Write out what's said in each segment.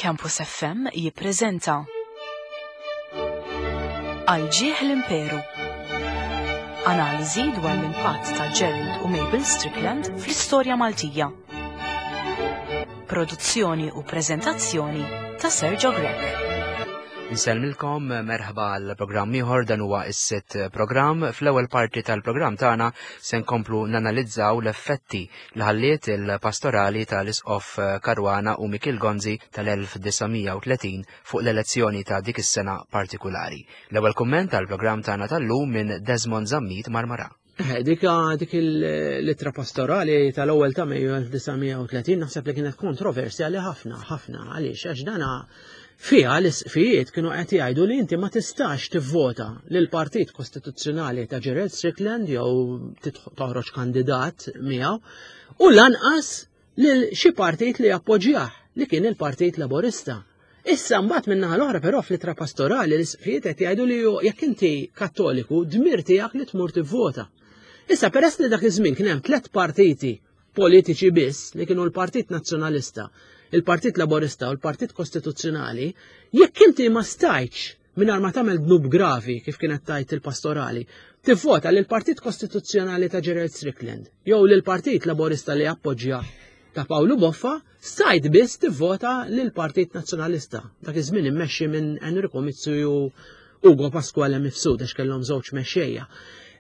Campus FM jippreżenta Għal ġieħ l-Imperu. Analiżi dwar l-impatt ta' Gerald u Mabel Strickland fl-istorja Maltija. Produzzjoni u preżentazzjoni ta' Sergio Grech. Insellmilkom merħba għal programm ieħor dan huwa s-sitt programm. Fl-ewwel parti tal-programm tagħna se nkomplu nanalizzaw l-effetti li ħalliet il-pastorali tal-Isqof Caruana u Mikiel Gonzi tal-1930 fuq l-elezzjoni ta' dik is-sena partikulari. L-ewwel kumment tal-programm tagħna tal-lum minn Desmond Zammit Marmara. Eh, dik dik l-ittra pastorali tal-ewwel ta' Mejju 1930 naħseb li kienet kontroversjali ħafna, ħafna għaliex għax dana fiha l-isqfijiet kienu qed jgħidu li inti ma tistax tivvota lil partit kostituzzjonali ta' Gerald Strickland jew toħroġ kandidat miegħu u lanqas lil xi partit li appoġġjah li kien il-Partit Laburista. Issa mbagħad min-naħa l-oħra però fl-ittra pastorali l-isqfijiet qed jgħidu li jekk inti Kattoliku dmir tiegħek li tmur tivvota. Issa peress li dak iż-żmien kien hemm tliet partiti politiċi biss li kienu l-Partit Nazzjonalista, il-Partit Laburista u l-Partit Kostituzzjonali, jekk inti ma stajtx mingħajr ma tagħmel dnub gravi kif kienet tajt il-pastorali, tivvota lil Partit Kostituzzjonali ta' Gerald Strickland jew lil Partit Laburista li appoġġja ta' Pawlu Boffa, stajt biss tivvota lil Partit Nazzjonalista. Dak iż-żmien immexxi minn Enrico Mizzi u Ugo Pasquale Mifsud għax kellhom żewġ mexxejja.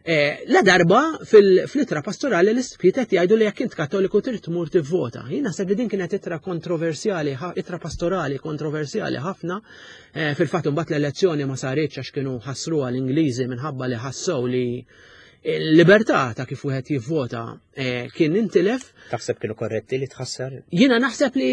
Eh, la darba fil-ittra pastorali l-isqfijiet qed jgħidu li jekk int Kattoliku trid tmur tivvota. Jien naħseb li din kienet ittra kontroversjali, ittra pastorali kontroversjali ħafna. Eh, fil-fatt imbagħad l-elezzjoni ma saritx għax kienu ħassruha l-Ingliżi minħabba li ħassew li l-libertà ta' kif wieħed jivvota eh, kien intilef. Taħseb kienu korretti li tħassar? Jiena naħseb li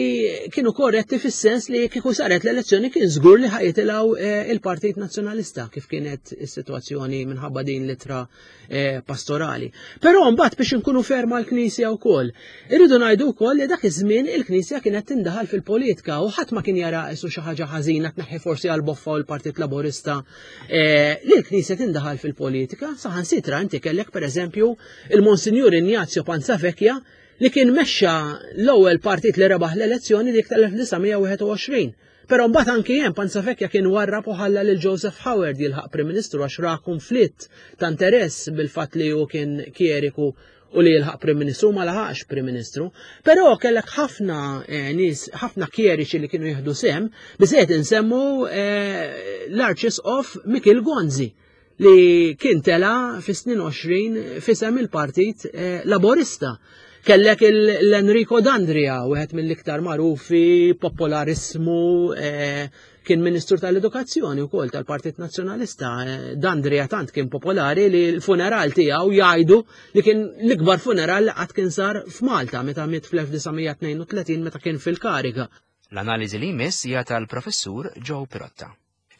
kienu korretti fis-sens li kieku saret l-elezzjoni kien żgur li ħajitilgħu eh, il-Partit Nazzjonalista kif kienet is-sitwazzjoni minħabba din l-ittra eh, pastorali. Però mbagħad biex inkunu ferma l-Knisja wkoll. Irridu ngħidu wkoll li dak iż-żmien il-Knisja kienet tindaħal fil-politika u ħadd ma kien jara isu xi ħaġa ħażina tneħħi forsi għal boffa u l-Partit Laburista eh, li l-Knisja tindaħal fil-politika, saħansitra inti kellek pereżempju il-Monsinjur Ignazio Panzavecchia li kien mexxa l-ewwel partit li rebaħ l-elezzjoni dik tal-1921. Però mbagħad anki hemm Panzavecchia kien warrab u ħalla lil Joseph Howard jilħaq Prim Ministru għax ra konflitt ta' interess bil-fatt li hu kien kjeriku u li jilħaq Prim Ministru ma laħaqx Prim Ministru. Però kellek ħafna eh, nies, ħafna kjeriċi li kienu jieħdu sehem, biżejjed insemmu eh, l-Arċisqof Mikil Gonzi li kien tela fis-snin 20 fisem il-Partit eh, Laborista. Kellek l-Enrico Dandria, wieħed mill-iktar magħrufi, popolarismu, eh, kien Ministru tal-Edukazzjoni wkoll tal-Partit Nazzjonalista. Eh, Dandria tant kien popolari li l-funeral tiegħu jgħidu li kien l-ikbar funeral li qatt kien sar f'Malta meta miet fl-1932 meta kien fil-kariga. L-analiżi li jmiss hija tal-Professur Joe Pirotta.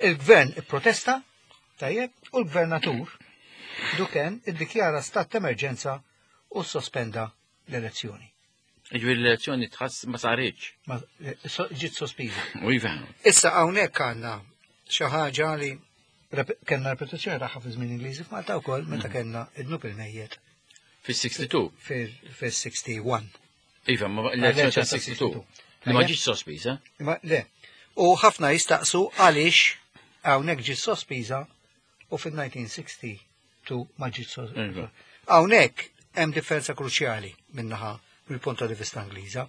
Il-gvern ipprotesta, tajjeb, u l-gvernatur Duken iddikjara stat ta' emerġenza u sospenda l-elezzjoni. Ġifieri l-elezzjoni tħass ma saritx. Eh, ġiet sospiża. U iva. Issa hawnhekk għandna xi ħaġa li kellna repetizzjoni tagħha fi żmien Ingliżi f'Malta wkoll meta mm. kellna id-nub il-mejjet. Fis-62? Fis-61. Iva, ma l-elezzjoni ta' 62. Li ma ġietx sospiża. Ma le. U ħafna jistaqsu għaliex hawnhekk ġiet sospiża u fil-1962 ma ġietx sospiża. Iva. Hawnhekk hemm differenza kruċjali minnaħa mill-punt di vista Ingliża.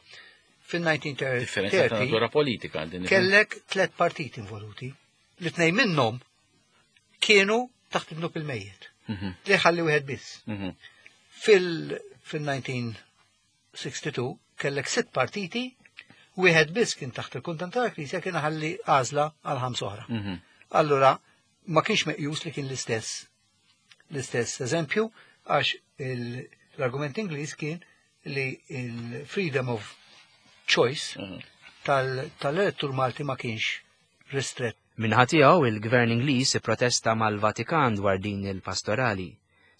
Fil-1930 Differenza ta' natura politika din. Kellek tlet partiti involuti. Li tnej minnhom kienu taħt id-dnub il-mejjet. Mhm. Li ħalli wieħed biss. Mhm. Fil-1962 kellek sitt partiti, wieħed biss kien taħt il-kundan tal-Knisja kien ħalli għażla għal ħams oħra. Mhm. Allura ma kienx meqjus li kien l-istess l-istess eżempju għax l-argument Ingliż kien li il-freedom of choice tal-elettur Malti ma kienx ristrett. Min-naħa tiegħu, il-Gvern Ingliż ipprotesta mal-Vatikan dwar din il-pastorali.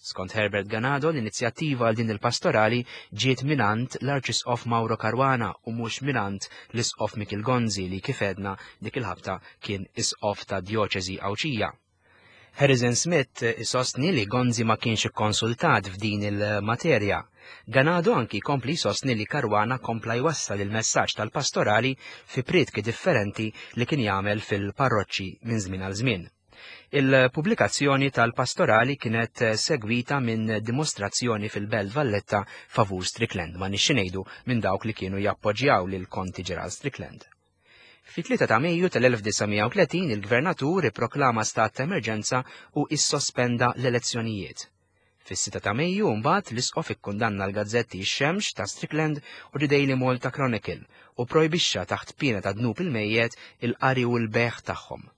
Skont Herbert Ganado, l-inizjattiva għal din il-pastorali ġiet mingħand l-Arċisqof Mauro Caruana u mhux mingħand l-Isqof Mikiel Gonzi li kif għedna dik il-ħabta kien Isqof ta' Djoċesi Għawdxija. Harrison Smith isostni li Gonzi ma kienx ikkonsultat f'din il-materja. Ganado anki kompli jsostni li Caruana kompla jwassal il-messaġġ tal-pastorali fi prietki differenti li kien jagħmel fil-parroċċi minn żmien għal żmien. Il-pubblikazzjoni tal-pastorali kienet segwita minn dimostrazzjoni fil-Belt Valletta favur Strickland, ma nixxi ngħidu minn dawk li kienu jappoġġjaw lil Konti Gerald Strickland. Fit-3 ta' Mejju tal-1930 il-Gvernatur ipproklama stat ta' emerġenza u issospenda l-elezzjonijiet. Fis-6 ta' Mejju mbagħad l-Isqof ikkundanna l-gazzetti Ix-Xemx ta' Strickland u The Daily Malta Chronicle u projbixxa taħt piena ta' dnub il-mejjet il-qari u l-bejgħ tagħhom.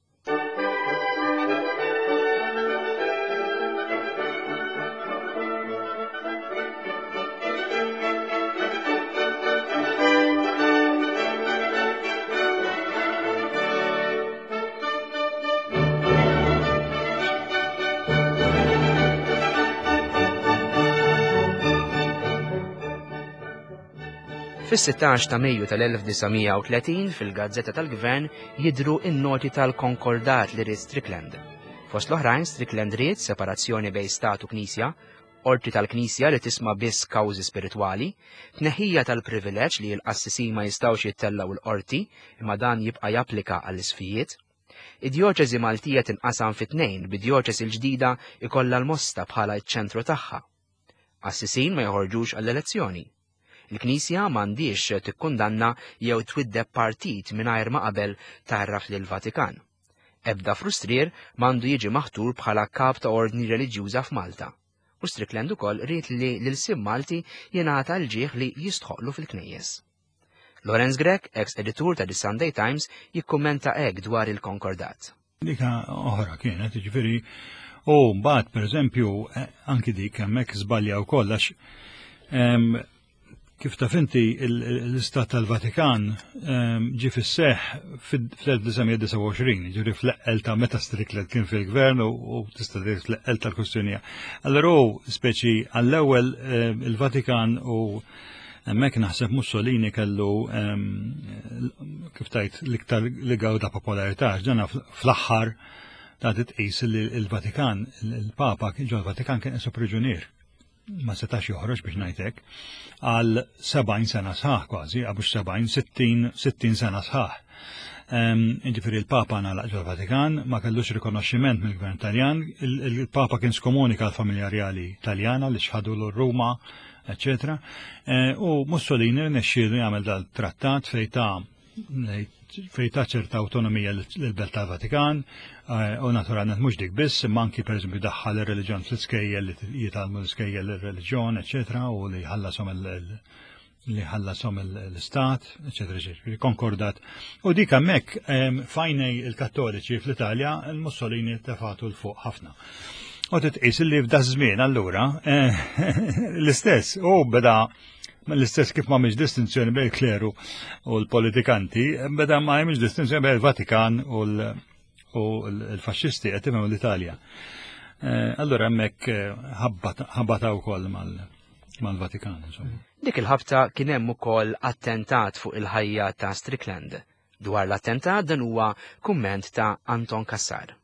Fis-16 ta' Mejju tal-1930 fil-Gazzetta tal-Gvern jidhru n-noti tal-Konkordat li ried Strickland. Fost l-oħrajn Strickland ried separazzjoni bejn Stat u Knisja, qorti tal-Knisja li tisma' biss kawżi spiritwali, tneħħija tal-privileġġ li l-qassisin ma jistgħux jittellgħu l-qorti imma dan jibqa' japplika għall-isqfijiet. Id-djoċesi Maltija tinqasam fi tnejn bid-djoċesi l-ġdida jkollha l-Mosta bħala ċ-ċentru tagħha. Qassisin ma joħorġux għall-elezzjoni. Il-Knisja m'għandhiex tikkundanna jew twiddeb partit mingħajr ma qabel tgħarraf lill-Vatikan. Ebda frustrier m'għandu jiġi maħtur bħala kap ta' ordni reliġjuża f'Malta. U Strickland ukoll ried li l-ilsien Malti jingħata l-ġieħ li jistħoqqlu fil-knejjes. Lawrence Grech, ex editur ta' The Sunday Times, jikkummenta hekk dwar il-Konkordat. Dik oħra kienet, jiġifieri, u mbagħad pereżempju eh, anki dik hemmhekk żbalja wkoll għax kif taf inti l-Istat tal-Vatikan ġie fis-seħ fl-1929, ġifieri fl-eqqel ta' meta Strickland kien fil-gvern u tista' tgħid fl-eqqel tal-kwistjonija. Allura hu speċi għall-ewwel il-Vatikan u Hemmhekk naħseb Mussolini kellu kif tajt l-iktar li gawda popolarità, ġana fl-aħħar ta' titqis li l-Vatikan, il-Papa ġol Vatikan kien qisu priġunier. Ma setax joħroġ biex ngħidlek għal 70 sena sħaħ kważi, għabux 70, 60, 60 sena sħaħ. Ġifieri l-Papa nagħlaq ġol Vatikan, ma kellux rikonoxximent mill-Gvern Taljan, il-Papa kien skomunika l-familja rjali Taljana li xħadu l-Ruma eccetera. Eh, u Mussolini rnexxielu jagħmel dal-trattat fejn ta' fejn ta' ċerta autonomija l-Belt tal-Vatikan, eh, u naturalment mhux dik biss, imma anki pereżempju daħħal ir-reliġjon fl-iskejjel li jitgħallmu l-iskejjel ir-reliġjon, eċetera, u li ħallasom li ħallasom l-istat, eċetera, eċetera, konkordat. U dik hemmhekk fajnej il-Kattoliċi fl-Italja, il-Mussolini tefatu l-fuq ħafna. U titqis li f'da żmien allura eh, l-istess u beda l-istess kif ma mhix distinzjoni bejn il-kleru u l-politikanti, beda ma hemmx distinzjoni bejn il-Vatikan u l-faxxisti qed tifhem l-Italja. Eh, allura hemmhekk eh, ħabbata wkoll mal-Vatikan. Dik il-ħabta kien hemm ukoll attentat fuq il-ħajja ta' Strickland. Dwar l-attentat dan huwa kumment ta' Anton Cassar.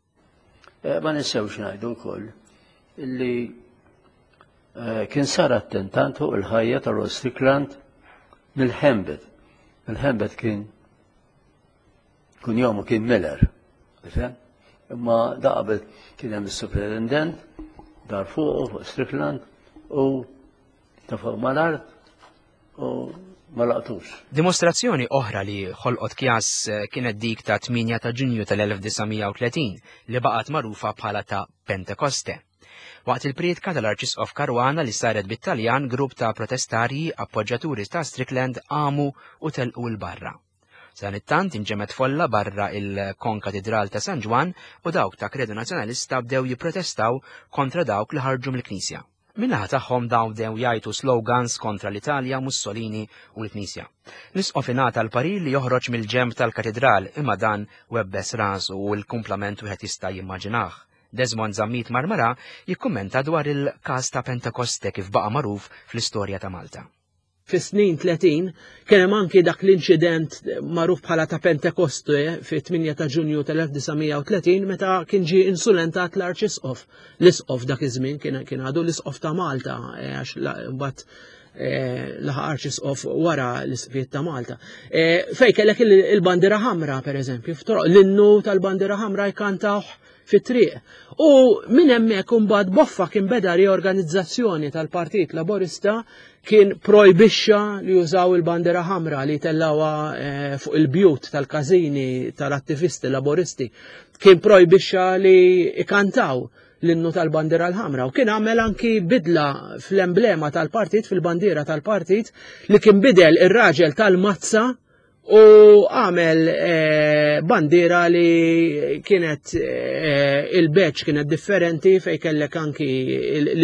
Eh, ma ninsewx ngħidu wkoll illi eh, kien sar attentat fuq il-ħajja ta' Rod Strickland mill-Ħembet. Il-Ħembet kien kun jomu kien Miller, tifhem? Imma da qabel kien hemm is-superintendent dar fuq fuq Strickland u ta' fuq mal-art u ma laqtux. Dimostrazzjoni oħra li ħolqot kjas eh, kienet dik ta' 8 ta' Ġunju tal-1930 li baqgħet magħrufa bħala ta' Pentekoste. Waqt il-prietka tal-Arċisqof Caruana li saret bit-Taljan, grupp ta' protestarji appoġġjaturi ta' Strickland qamu u telqu 'l barra. Sadanittant inġemgħet folla barra il-Konkatidral ta' San Ġwann u dawk ta' Kredu Nazzjonalista bdew jipprotestaw kontra dawk li ħarġu mill-Knisja. Min-naħa tagħhom dawn bdew jgħajtu slogans kontra l-Italja, Mussolini u l-Knisja. L-Isqof ingħata l-parir li joħroġ mill-ġenb tal-katidral imma dan webbes rasu u l-kumplament wieħed jista' jimmaġinah. Desmond Zammit Marmarà jikkummenta dwar il-każ ta' Pentekoste kif baqa' magħruf fl-istorja ta' Malta. Fis-snin 30 kien hemm anki dak l-inċident magħruf bħala ta' Pentekoste fit-8 ta' Ġunju tal-1930 meta kien ġie insulentat l-Arċisqof. L-Isqof dak iż-żmien kien għadu l-Isqof ta' Malta eh, għax mbagħad eh, laħaq Arċisqof wara l-Isqfijiet ta' Malta. Eh, fej kellek il-bandiera ħamra pereżempju, l-innu tal-bandiera ħamra jkantawh fit-triq. U minn hemmhekk imbagħad boffa kien beda riorganizzazzjoni tal-Partit Laburista kien projbixxa li jużaw il-bandiera ħamra li tellawha eh, fuq il-bjut tal-każini tal-attivisti laboristi. Kien projbixxa li ikantaw l-innu tal-bandiera l-ħamra u kien għamel anki bidla fl-emblema tal-partit, fil-bandiera tal-partit li kien bidel ir-raġel tal-mazza u għamel eh, bandiera li kienet eh, il-beċ kienet differenti fej kellek anki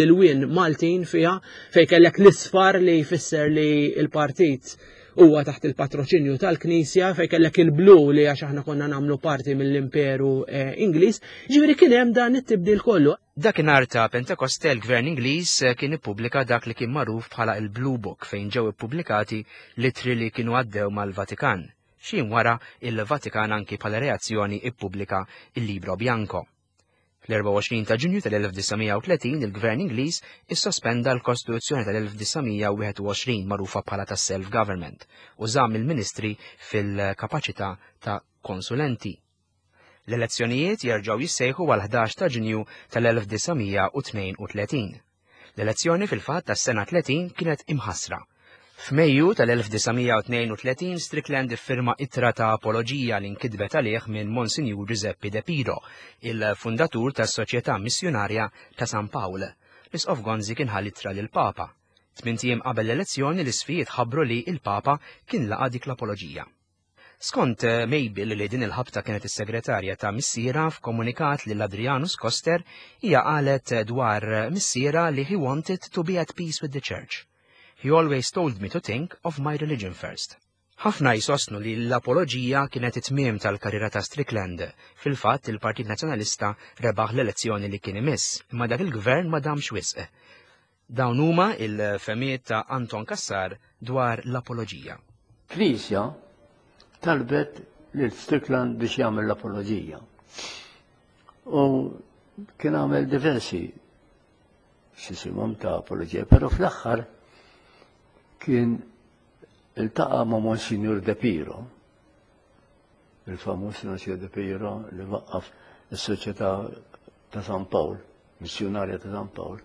l-win Maltin fiha, fej kellek l-isfar li jfisser li il-partit huwa taħt il-patroċinju tal-Knisja, fej kellek il-blu li għax aħna konna nagħmlu parti mill-Imperu eh, Ingliż, ġifieri kien hemm dan it-tibdil kollu. Dakinhar ta' Pentekoste l-Gvern Ingliż kien ippubblika dak li kien magħruf bħala il-Blue Book fejn ġew ippubblikati l-ittri li kienu għaddew mal-Vatikan. Xi jiem wara, il-Vatikan anki bħala reazzjoni ippubblika il-Libro Bianco. Fl-24 ta' Ġunju tal-1930 il-Gvern Ingliż issospenda l-Kostituzzjoni tal-1921 magħrufa bħala tas-Self-Government u żamm il-ministri fil-kapaċità ta' konsulenti. L-elezzjonijiet jerġgħu jissejħu għal 11 ta' Ġunju tal-1932. L-elezzjoni fil-fatt tas-sena 30 kienet imħassra. F'Mejju tal-1932 Strickland iffirma ittra ta' apoloġija li nkitbet għalih minn Monsinjur Giuseppe De Piro, il-fundatur tas-Soċjetà Missjunarja ta' San Pawl. L-Isqof Gonzi kien ħa l-ittra lill-Papa. Tmint ijiem qabel l-elezzjoni l-isqfijiet ħabbru li l-Papa kien laqa' dik l-apoloġija. Skont eh, Mabel li din il-ħabta kienet is-segretarja ta' missiera f'komunikat lil Adrianus Koster, hija qalet dwar missiera li he wanted to be at peace with the church. He always told me to think of my religion first. Ħafna jsostnu li l-apoloġija kienet it-tmiem tal-karriera ta' Strickland. Fil-fatt, il-Partit Nazzjonalista rebaħ l-elezzjoni li kien imiss, imma dak il-gvern ma damx wisq. Dawn huma il-fehmiet ta' Anton Cassar dwar l-apoloġija. Knisja talbet lil Strickland biex jagħmel l-apoloġija. U kien għamel diversi xisimhom ta' apoloġija, però fl-aħħar kien iltaqa' ma' Monsignor De Piro, il-famuż Monsignor De Piro li waqqaf is-Soċjetà ta' San Pawl, missjunarja ta' San Pawl,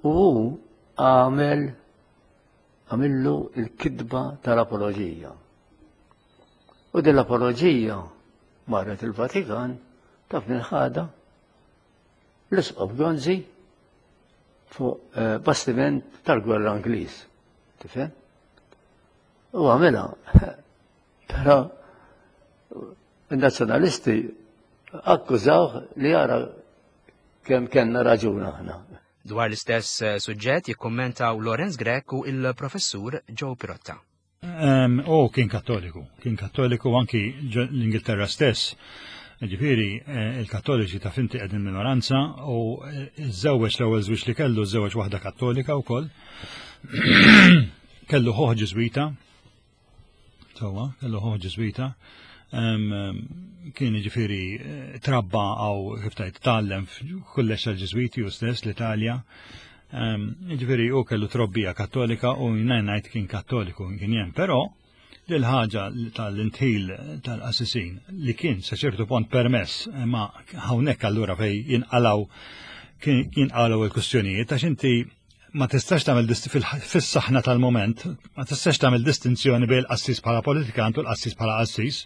u hu għamel għamillu il-kidba tal-apoloġija. U din l-apoloġija marret il-Vatikan taf minn ħada l-Isqof Gonzi fuq eh, bastiment tal-gwerra Ingliż. Tifhem? U għamilha. Però il-nazzjonalisti akkużawh li jara kemm kellna raġun aħna. Dwar l-istess eh, suġġett jikkummentaw Lorenz Grech u il-professur Joe Pirotta. U kien kattoliku, kien kattoliku anki l-Ingilterra stess. Ġifieri, eh, il-kattoliċi ta' finti qegħdin minoranza u eh, żewweġ l-ewwel żwieġ li kellu żewweġ waħda kattolika wkoll. Kellu ħoħ ġiżwita, Sewwa, kellu ħuħ ġiżwita. Kien ġifieri eh, trabba għaw kif tajt tgħallem f'kulleġġ tal-Ġiżwiti u stess l-Italja. Ġifieri u kellu trobbija kattolika u ngħid kien kattoliku kien jem, però l-ħaġa tal-intħil tal-qassisin li kien sa ċertu pont permess ma hawnhekk allura fej jinqalaw jinqalaw il-kustjonijiet għax inti ma tistax tagħmel fis-saħna tal-moment, ma tistax tagħmel distinzjoni bejn il-qassis bħala politikant u l-qassis bħala qassis.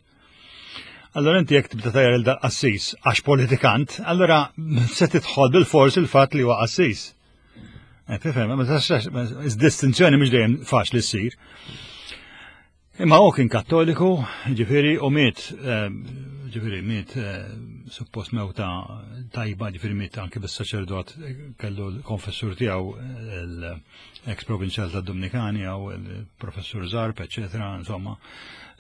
Allora inti jekk tibda tajjar il qassis għax politikant, allora se tidħol bil-fors il-fatt li huwa qassis. Eh, tifhem, ma tistax distinzjoni mhux dejjem faċli ssir. Imma hu kien kattoliku, ġifieri u miet, eh, ġifieri miet eh, suppost mewta tajba, ġifieri miet anke bis-saċerdot kellu l-konfessur tiegħu l-ex provinċjal tad-Dominikani jew il-professur Zarb, eċetera, insomma.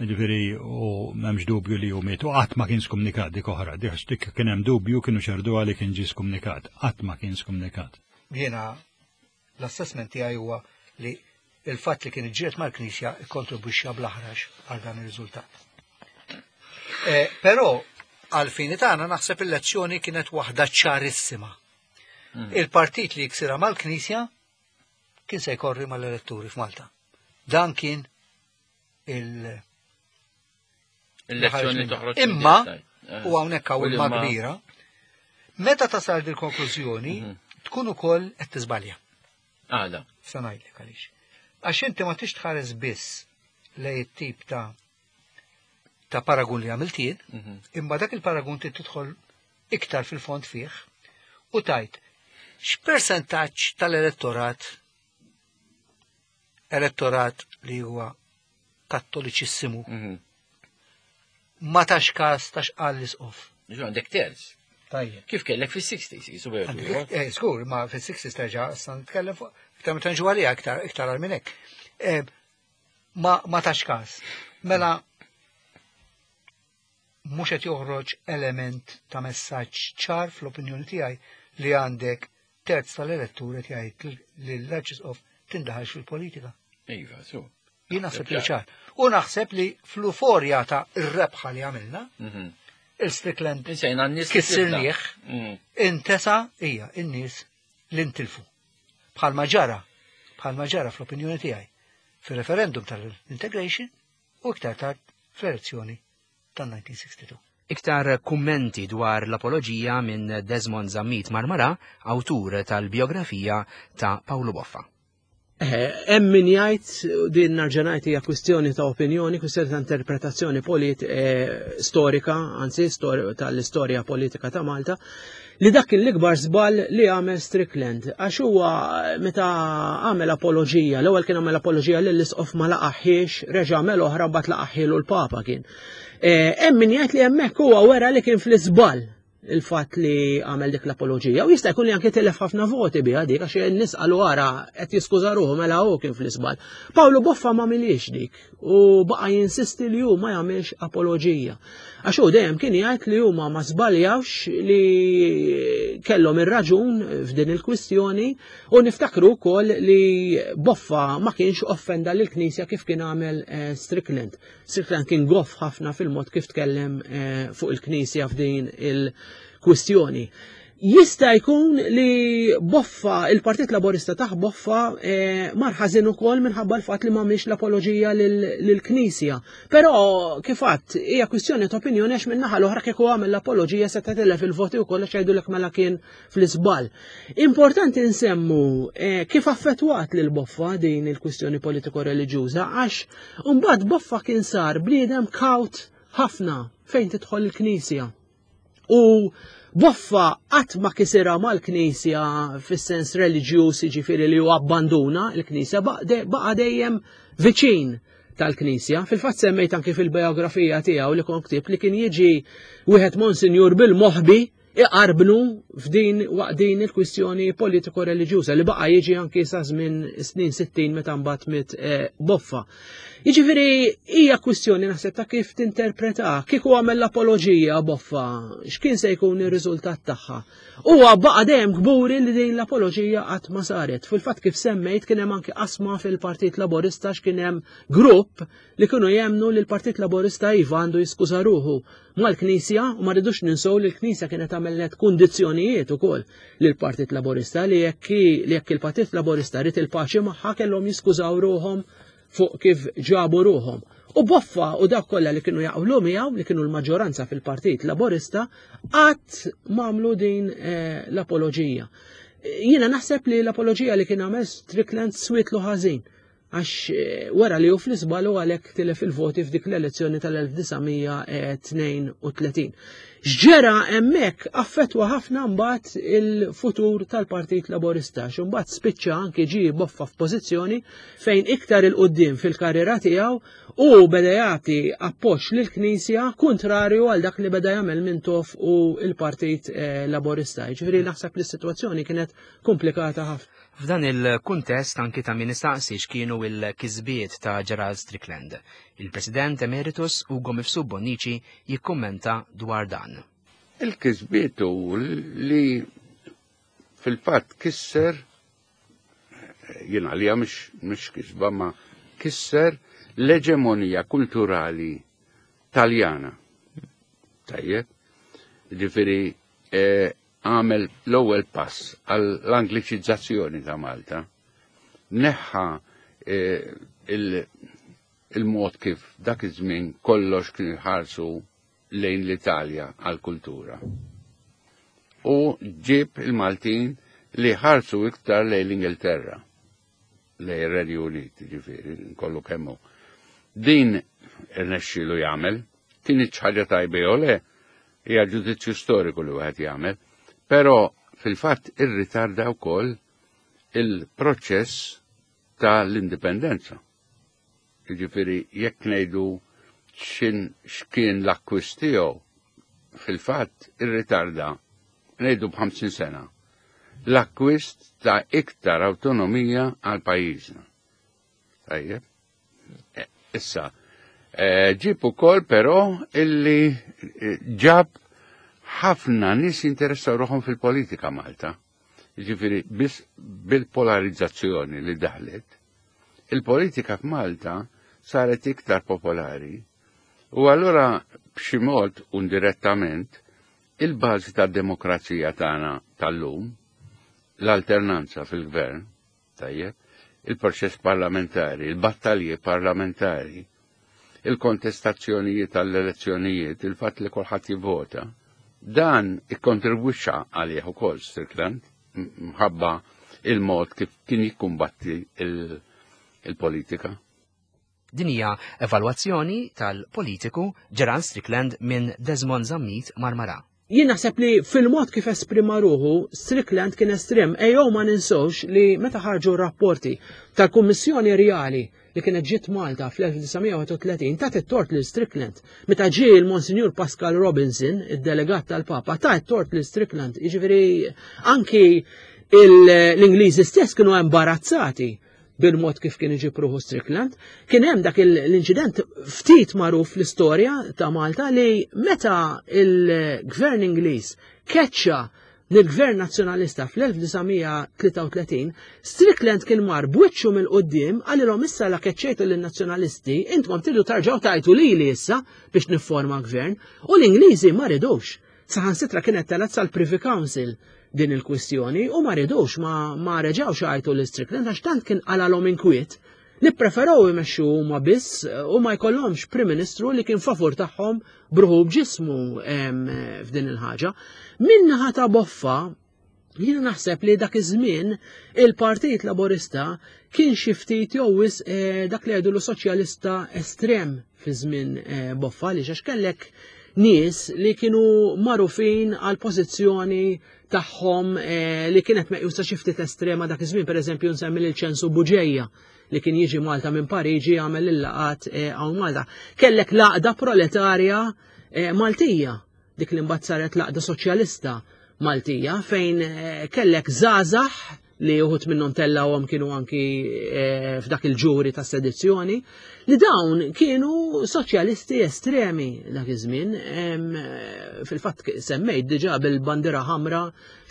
Ġifieri u m'hemmx dubju li hu miet u qatt ma kien skumnikat dik oħra, dik kien hemm dubju kienu xerduha li kien ġie skumnikat, qatt ma kien skumnikat. Jiena l-assessment tiegħi huwa li Il-fatt li kien iġġieled mal-Knisja ikkontribwixxa bl-aħrax għal dan ir-riżultat. Eh, però għal-fini tagħna naħseb il-lezzjoni kienet waħda ċarissima. Il-partit li jiksira mal-Knisja kien se jkorri mal-eletturi f'Malta. Dan kien il- Il-lezzjoni toħroġ. Imma, eh. u hawnhekk hawn imma kbira, meta tasal dil-konklużjoni, tkun ukoll qed tiżbalja. Għala. Sa ngħidlek għaliex. Għax inti ma tix tħares biss lej it-tip ta' ta' paragun li għamilt jien, imma dak il-paragun trid tidħol iktar fil-fond fih u tajt x'persentaġġ tal-elettorat elettorat li huwa kattoliċissimu ma tax każ ta' x'qal l-isqof. Għandek terz. Tajjeb. Kif kellek fis-60s, jisu Għandek- Eh, Skur, ma fis-60s terġa' issa nitkellem fuq iktar meta nġu għalija iktar iktar għal minn hekk. Eh, Ma ma tax każ. Mela mhux qed joħroġ element ta' messaġġ ċar fl-opinjoni tiegħi li għandek terz tal-elettur qed jgħid li l-Arċisqof tindaħalx fil-politika. Iva, su. Jien naħseb li ċar. U naħseb li fl-uforja ta' ir-rebħa li għamilna, il-Strickland Insejna n-nies. kissirnieh, intesa hija in-nies li ntilfu. Bħalma ġara, bħalma ġara fl-opinjoni tiegħi fir-referendum tal-integration u iktar tard fl-elezzjoni tal-1962. Iktar kummenti dwar l-apoloġija minn Desmond Zammit Marmara, awtur tal-biografija ta' Paolo Boffa. Eh, Hemm min jgħid din nerġa' ngħid hija kwistjoni ta' opinjoni, kwistjoni ta' interpretazzjoni polit eh, storika, anzi stor tal-istorja politika ta' Malta, li dak kien l-ikbar żball li għamel Strickland. Għax huwa meta għamel apoloġija, l-ewwel kien għamel apoloġija lill isqof ma laqaħħiex, reġa' għamel oħra mbagħad laqaħħielu l-Papa kien. Eh, Hemm min jgħid li hemmhekk huwa wera li kien fl-iżball il-fatt li għamel dik l-apoloġija. U jista' jkun li anke tilef ħafna voti biha dik għax in-nies qalu ara qed jiskuża ruħu mela hu kien fl-iżball. Pawlu Boffa ma miliex dik u baqa' jinsisti li hu ma jagħmilx apoloġija. Għax hu dejjem kien jgħid li huma ma żbaljawx li kellhom ir-raġun f'din il-kwistjoni u niftakru wkoll li Boffa ma kienx offenda lill-Knisja kif kien għamel eh, Strickland. Strickland kien goff ħafna fil-mod kif tkellem eh, fuq il-Knisja f'din il-kwistjoni. Jista' jkun li Boffa, il-Partit Laborista taħ Boffa eh, mar ħażin ukoll minħabba l-fatt li m'għamilx l-apoloġija lill-Knisja. Però kif għadt, hija kwistjoni ta' opinjoni għax min-naħa l-oħra kieku għamel l-apoloġija se tilef il-voti wkoll għax jgħidulek mela kien fl-iżball. Importanti nsemmu eh, kif affettwat lil Boffa din il-kwistjoni politiko-reliġjuża għax mbagħad Boffa kien sar bniedem kawt ħafna fejn tidħol il-Knisja. U Boffa qatt ma kisirha mal-Knisja fis-sens reliġjuż jiġifieri li hu abbanduna l-Knisja baqa' dejjem viċin tal-Knisja. Fil-fatt semmejt anki fil-biografija tiegħu li kont ktibt li kien jiġi wieħed Monsinjur bil-moħbi iqarbnu f'din waqt din il-kwistjoni politiko-reliġjuża li baqa' jiġi anki sa żmien snin 60 meta mbagħad miet eh, Boffa. Jiġifieri hija kwistjoni naħseb ta' kif tinterpreta, kieku għamel l-apoloġija Boffa, x'kien se jkun ir-riżultat tagħha. Huwa baqa' dejjem kburi li din l-apoloġija qatt ma saret. Fil-fatt kif semmejt kien hemm anki qasma fil-Partit Laburista x'kien hemm grupp li kienu jemmnu li l-Partit Laburista iva għandu jiskuża ruħu mal-Knisja u ma rridux ninsew li l-Knisja kienet għamlet kundizzjonijiet ukoll lill-Partit Laburista li jekk li jekk il-Partit Laburista rid il-paċi magħha kellhom jiskużaw ruħhom fuq kif ġabu ruħhom. U Boffa u dak kollha li kienu jaqblu miegħu li kienu l-maġġoranza fil-Partit Laburista qatt m'għamlu din eh, l-apoloġija. Jiena naħseb li l-apoloġija li kien għamel Strickland swietlu ħażin għax eh, wara li hu fl-iżbal u għalhekk tilef il-voti f'dik l-elezzjoni tal-1932. X'ġera hemmhekk affettwa ħafna mbagħad il-futur tal-Partit Laburista, x'imbagħad spiċċa anki ġie boffa f'pożizzjoni fejn iktar il-qudiem fil-karriera tiegħu u beda jagħti appoġġ lill-Knisja kontrarju għal dak li beda jagħmel Mintoff u l-Partit eh, Laburista. Jiġifieri naħseb li s-sitwazzjoni kienet komplikata ħafna. F'dan il-kuntest anki ta' min istaqsi x'kienu il-kisbiet ta' Gerald Strickland. Il-President Emeritus Ugo Mifsud Bonnici jikkummenta dwar dan. Il-kisbiet hu li fil-fatt kisser Jien għalija mhix kisba ma kisser l-eġemonija kulturali Taljana. Tajjeb, ġifieri eh, għamel l-ewwel pass għall-Angliċizzazzjoni ta' Malta. Neħħa eh, il-mod kif dak iż-żmien kollox kien ħarsu lejn l-Italja għall-kultura. U ġib il-Maltin li ħarsu iktar lejn l-Ingilterra, lejn ir-Renju Unit, ġifieri, kollu kemmu. Din irnexxielu jagħmel, kien ħaġa tajba jew le, hija ġudizzju storiku li wieħed jagħmel, però fil-fatt irritarda wkoll il-proċess tal-indipendenza. Jiġifieri jekk ngħidu x'in x'kien l-akkwist tiegħu, fil-fatt irritarda ngħidu b'ħamsin sena l-akkwist ta' iktar awtonomija għal pajjiżna. Tajjeb. E, issa, e, ġib ukoll però illi e, ġab ħafna nies jinteressaw ruħhom fil-politika Malta. Jiġifieri biss bil-polarizzazzjoni li daħlet, il-politika f'Malta saret iktar popolari u allura b'xi mod indirettament il-bażi tad-demokrazija tagħna tal-lum, l-alternanza fil-gvern, tajjeb, il-proċess parlamentari, il-battalji parlamentari, il-kontestazzjonijiet għall-elezzjonijiet, il-fatt li kulħadd jivvota, dan ikkontribwixxa għalih ukoll Strickland mħabba il-mod kif kien jikkumbatti il-politika. Din hija evalwazzjoni tal-politiku Gerald Strickland minn Desmond Zammit Marmara. Jien naħseb li fil-mod kif esprima ruħu, Strickland kien estrem. Ejjew ma ninsewx li meta ħarġu r-rapporti tal-Kummissjoni Rjali li kienet ġiet Malta fl-1931 tat it-tort lil Strickland. Meta ġie l-Monsinjur Pascal Robinson, id-delegat tal-Papa, ta' it-tort lil Strickland. Jiġifieri anki l-Ingliżi stess kienu imbarazzati bil-mod kif kien iġib ruħu Strickland. Kien hemm dak l-inċident ftit magħruf fl-istorja ta' Malta li meta il-gvern Ingliż keċċa lill-gvern nazzjonalista fl-1933, Strickland kien mar b'wiċċu mill-qudiem qalilhom issa la keċċejtu lin-nazzjonalisti, intkom tridu tarġgħu tajtu lili issa biex nifforma gvern, u l-Ingliżi ma ridux. Saħansitra kienet telgħet sal-Privy Council din il-kwistjoni u ma ridux ma, ma reġgħux għajtu lil Strickland għax tant kien qalalhom inkwiet li ppreferew imexxu huma biss u ma jkollhomx Prim Ministru li kien favur tagħhom bruħu b'ġismu f'din il-ħaġa. Minnaħa ta' boffa Jiena naħseb li dak iż-żmien il-Partit Laburista kien xi ftit jew wisq eh, dak li jgħidulu soċjalista estrem fi żmien eh, Boffa li għax kellek nies li kienu magħrufin għal pożizzjoni tagħhom eh, li kienet meqjusa xi ftit estrema dak iż-żmien, pereżempju nsemmi lil Ċensu Buġeja li kien jiġi Malta minn Pariġi jagħmel il-laqat hawn Malta. Kellek l-għaqda proletarja Maltija dik li mbagħad saret l-Għaqda Soċjalista Maltija fejn eh, kellek żgħażagħ li uħut minnhom tellawhom kienu anki eh, f'dak il-ġuri ta' sedizzjoni, li dawn kienu soċjalisti estremi dak iż-żmien. Eh, fil-fatt semmejt diġà bil-bandira ħamra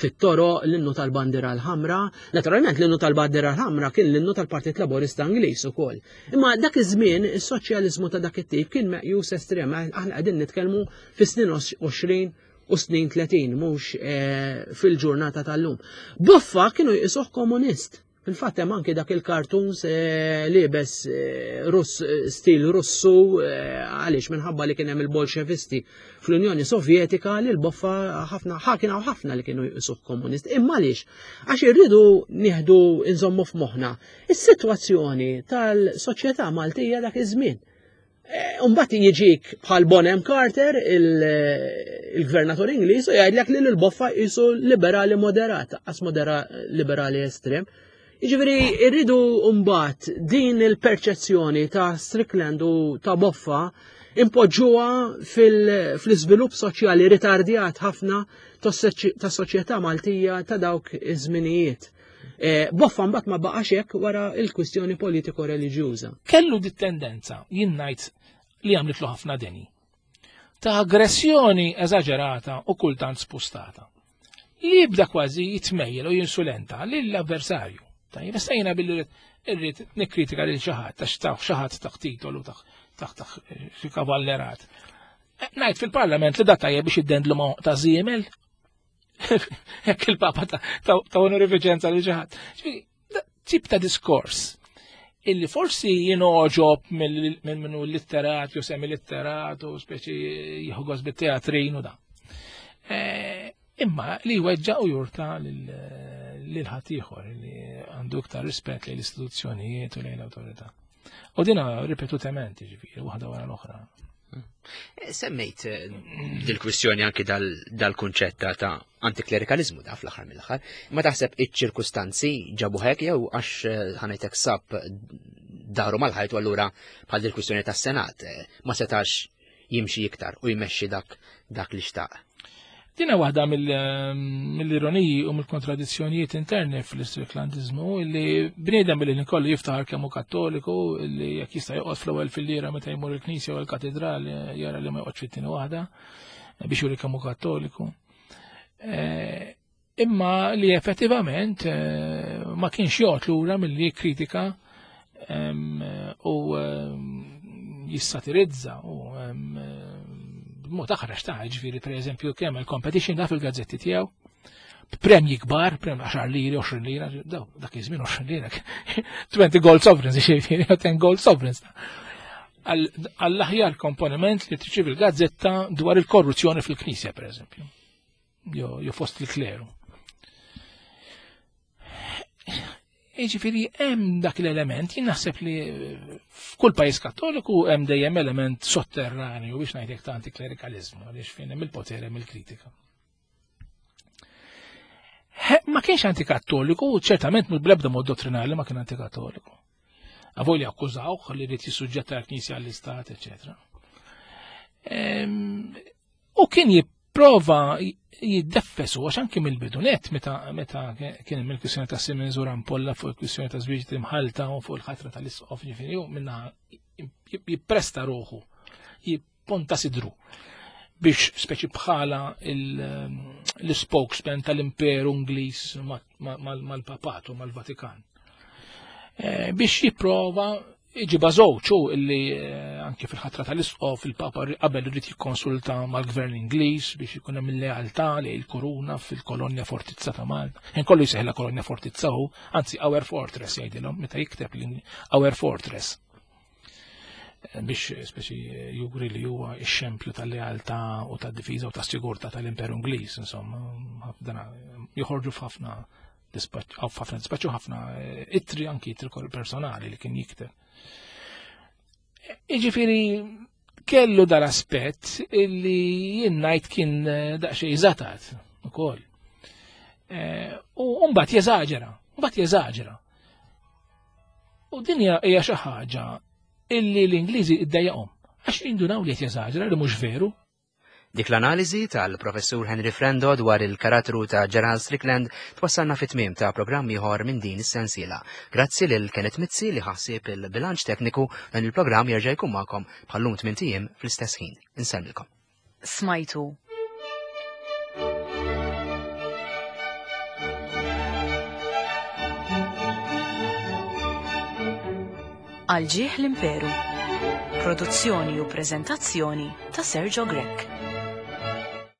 fit-toro l-innu tal-bandira l-ħamra. Naturalment l-innu tal-bandira l-ħamra kien l-innu tal-Partit Laburista Ingliż ukoll. Imma dak iż-żmien is-soċjaliżmu ta' dak it-tip kien meqjus estrem, aħna qegħdin nitkellmu fis-snin 20 u snin 30, mhux eh, fil-ġurnata tal-lum. Boffa kienu jqisuh komunist. Fil-fatt hemm anki dak il-cartoons eh, libes eh, Russ stil Russu għaliex minħabba li kien hemm il-Bolxevisti fl-Unjoni Sovjetika li l-boffa ħafna kien hawn ħafna li kienu jqisuh komunist. Imma għaliex? Għax irridu nieħdu inżommu f'moħħna is-sitwazzjoni tal-soċjetà Maltija dak iż-żmien. Eh, Umbat jiġik bħal Bonham Carter, il-gvernatur Ingliż, u jgħidlek li l-boffa jisu liberali moderat, qas modera liberali estrem. Jiġifieri irridu mbagħad din il-perċezzjoni ta' Strickland u ta' Boffa impoġġuha fil-iżvilupp soċjali ritardjat ħafna tas-soċjetà Maltija ta' dawk iż-żminijiet. Eh, boffa mbagħad ma baqax hekk wara l-kwistjoni politiko reliġjuża. Kellu dit tendenza jien ngħid li għamlitlu ħafna deni. Ta' aggressjoni eżaġerata u kultant spustata. Li jibda kważi jitmejjel u jinsulenta lill-avversarju. Tajjeb, issa jiena billi irrid nikkritika lil xi ħadd għax taf xi ħadd taħt titolu taħt xi kavallerat. Eh, ngħid fil-Parlament li da tajjeb biex iddendlu ma' ta' żiemel. Jekk il-Papa ta' onorifiċenza li xi ħadd. Tip ta' diskors illi forsi jinoġob minn minnu litterat jew semi-litterat u speċi jieħu bit-teatrin u da. Eh, Imma li jweġġa' u jurta lil ħaddieħor li għandu iktar rispett lejn l-istituzzjonijiet u lejn l-awtorità. U dina ripetutament, ġifieri, waħda wara l-oħra. Eh, semmejt eh, dil-kwistjoni anki dal-kunċett ta' antiklerikalizmu da fl-aħħar mill-aħħar, ma taħseb iċ-ċirkustanzi ġabu hekk jew għax eh, ħanajtek sab daru mal-ħajt u allura bħal dil-kwistjoni tas-Senat ma setax jimxi iktar u jmexxi dak dak li xtaq. Dina waħda mill-ironiji u mill-kontradizzjonijiet interni fl-istriklandizmu illi bniedem billi nikollu jiftaħar kemm hu kattoliku illi jekk jista' joqgħod fl-ewwel fil-lira meta jmur il-knisja u l-katedral jara li ma joqgħodx fit-tieni waħda biex juri kemm hu kattoliku. Eh, imma li effettivament eh, ma kienx joqgħod lura milli jikkritika u jissatirizza u b'mod aħrax ta' ġifieri pereżempju kemm il-competition da fil-gazzetti tiegħu premji kbar, premji 10 liri, 20 lira, dak iż-żmien 20 lira, 20 gold sovereigns, ġifieri 10 gold sovereigns. Għall-aħjar komponiment li triċivi l-gazzetta dwar il-korruzzjoni fil-Knisja, pereżempju jew fost il-kleru. Jiġifieri hemm dak l-element, jien naħseb li f'kull pajjiż kattoliku hemm dejjem element sotterranju biex ngħidlek ta' antiklerikaliżmu għaliex fejn hemm il-poter hemm il-kritika. Ma kienx antikattoliku, ċertament mhux bl-ebda mod dottrinali ma kien antikattoliku. Avolja akkużawh li rrid jissuġġetta l-Knisja għall-Istat, eċetera. U kien jipprova jiddeffesu għax anki mill-bidu net meta meta kien hemm il-kwistjoni ta' Siemens u Rampolla fuq il-kwistjoni ta' żwieġ imħalta u fuq il-ħatra tal-isqof ġifieri u minna jippresta ruħu, jipponta sidru biex speċi bħala l-spokesman tal-Imperu Ingliż mal-Papat u mal-Vatikan. Eh, biex jipprova Iġibha żewġ hu illi eh, anke fil-ħatra tal-isqof il-Papa qabel irid jikkonsulta mal-Gvern Ingliż biex ikun hemm il-lealtà li l-kuruna fil-kolonja fortizza ta' Malta. Ħin kollu jsejħilha kolonja fortizza hu, anzi Our Fortress jgħidilhom meta jikteb Our Fortress eh, biex speċi juri li huwa x-xempju tal-lealtà u tad-difiża u tas-sigurtà tal-Imperu Ingliż, insomma, joħorġu f'ħafna ħafna dispaċċu ħafna eh, ittri anki ittri personali li kien jikteb. Iġifieri kellu dal-aspett illi jien ngħid kien eh, daqsxejn żatat ukoll. Eh, u mbagħad jeżaġera, mbagħad jeżaġera. U din hija xi ħaġa illi l-Ingliżi iddejjaqhom għax jindunaw li qed jeżaġera li mhux veru. Dik l-analiżi tal-Professur Henry Frendo dwar il-karattru ta' Gerald Strickland twassalna fit-tmiem ta' programm ieħor minn din is-sensiela. Grazzi lil Kenneth Mizzi li ħassib il-bilanċ tekniku dan il-programm jerġa' jkun magħkom bħallum tmien ijiem fl-istess ħin. Insellmilkom. Smajtu Għal ġieħ l-Imperu. Produzzjoni u preżentazzjoni ta' Sergio Grech.